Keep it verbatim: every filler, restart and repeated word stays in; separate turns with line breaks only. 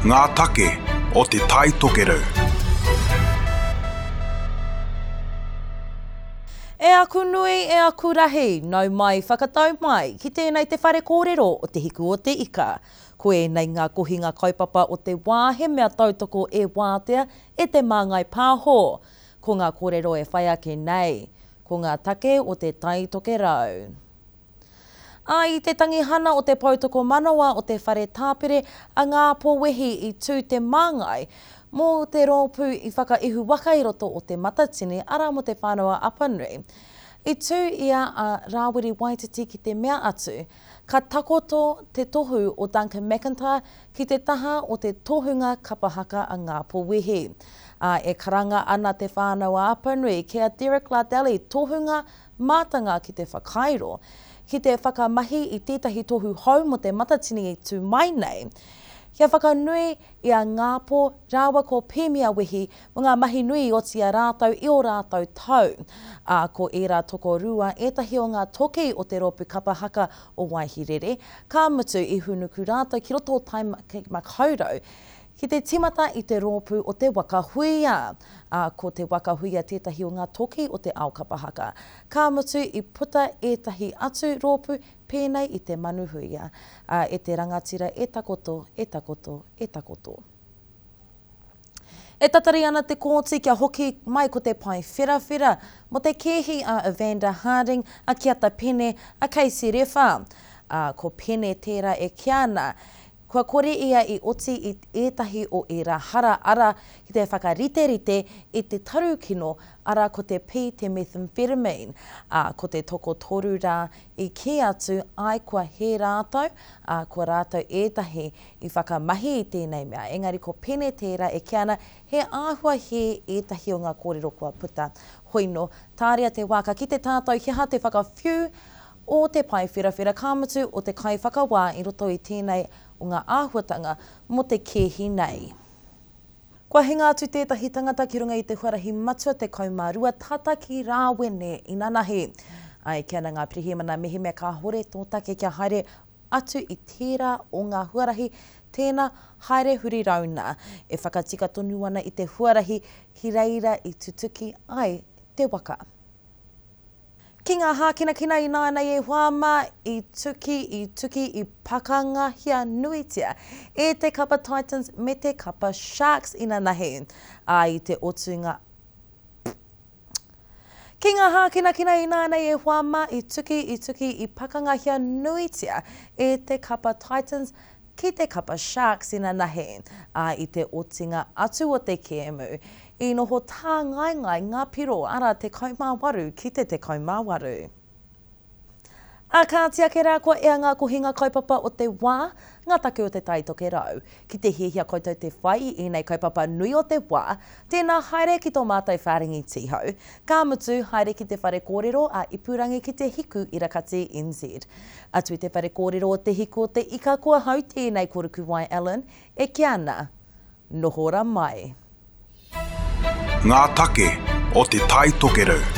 Ngā take o Te Tai Tokerau.
E aku nui, e aku rahi, nau mai, whakatau mai, ki tēnei te whare kōrero o Te Hiku o Te Ika. Ko ēnei ngā kohinga kaupapa o te wā he mea tautoko e Wātea e Te Māngai Pāho. Ko ngā kōrero e whai ake nei, ko ngā take o Te Tai Tokerau. Ā, i te tangihana o te poutokomanawa o te whare tāpere a Ngāpō Wehi i tū te māngai mō te rōpū i whakaihu waka i roto o Te Matatini, arā mō Te Whānau-a-Apanui. I tū ia a Rāwiri Waititi ki te mea atu, ka takoto te tohu o Duncan McIntyre ki te taha o te tohunga kapa haka a Ngāpō Wehi. Ā, e karanga ana Te Whānau-a-Apanui ki a Derek Lardelli tohunga mātanga ki te whakairo, ki te whakamahi i tētahi tohu hou mō Te Matatini i tū mai nei, kia whakanui i a Ngāpō rāua ko Pīmia Wehi mō ngā mahi nui i oti i a rātou i ō rātou tau. Ā, ko ērā tokorua ētahi o ngā toki o te rōpū kapa haka o Waihirere, ka mutu i hūnuku rātou ki roto o Tāmaki Makaurau ki te tīmata i te rōpū o Te Waka Huia. Ā, ko Te Waka Huia tētahi o ngā toki o te ao kapa haka. Ka mutu i puta ētahi atu rōpū pēnei i Te Manu Huia. Ā, e te rangatira e takoto, e takoto, e takoto. E tatari ana te kōti kia hoki mai ko te pae wherawhera mō te kēhi a Evander Harding, a Kiata Pene, a Casey Rewha. Ā, ko Pene tērā e kīa ana, Kua kore ia i oti i ētahi o ērā hara, arā, ki te whakariterite i te tarukino, arā, ko te pī, te methamphetamine, ā, ko te tokotoru rā i kī atu ai kua hē rātou, ā, kua rātou ētahi i whakamahi i tēnei mea. Engari ko Pene tērā e kī ana he āhua hē ētahi o ngā kōrero kua puta. Hoino, tāria te wā ka kite tātou he aha te whakawhiu o te pae wherawhera, ka mutu o te kaiwhakawā i roto i tēnei o ngā āhuatanga mō te kēhi nei. Kua hinga atu tētahi tangata ki runga i te huarahi matua tekau mā rua tata ki Rāwene inanahi. Ā, e kī ana ngā pirihimana mehemea kāhore tō take kia haere atu i tērā o ngā huarahi, tēnā haere huri rauna. E whakatika tonu ana i te huarahi ki reira i tutuki ai te waka. Ki ngā hākinakina ināianei e hoa mā, i tuki, i tuki, i pakangahia nuitia e te kapa Titans me te kapa Sharks inanahi, ā, i te otunga Ki ngā hākinakina ināianei e hoa mā, i tuki, i tuki, i pakangahia nuitia e te kapa Titans ki te kapa Sharks inanahi, ā, i te otinga atu o te kēmu, i noho tāngaengae ngā piro, arā, tekau mā waru ki te tekau mā waru. Ā kāti ake rā kua ea ngā kohinga kaupapa o te wā, ngā take o Te Tai Tokerau. Ki te hiahia koutou te whai i ēnei kaupapa nui o te wā, tēnā haere ki tō mātou whārangi tīhau. Ka mutu, haere ki te whare kōrero a Ipurangi ki te Hiku Irakati N Z. Atu i te whare kōrero o Te Hiku o Te Ika ko ahau tēnei ko Rukuwai Allen e kī ana, Noho ra mai.
Ngā take o Te Tai Tokerau.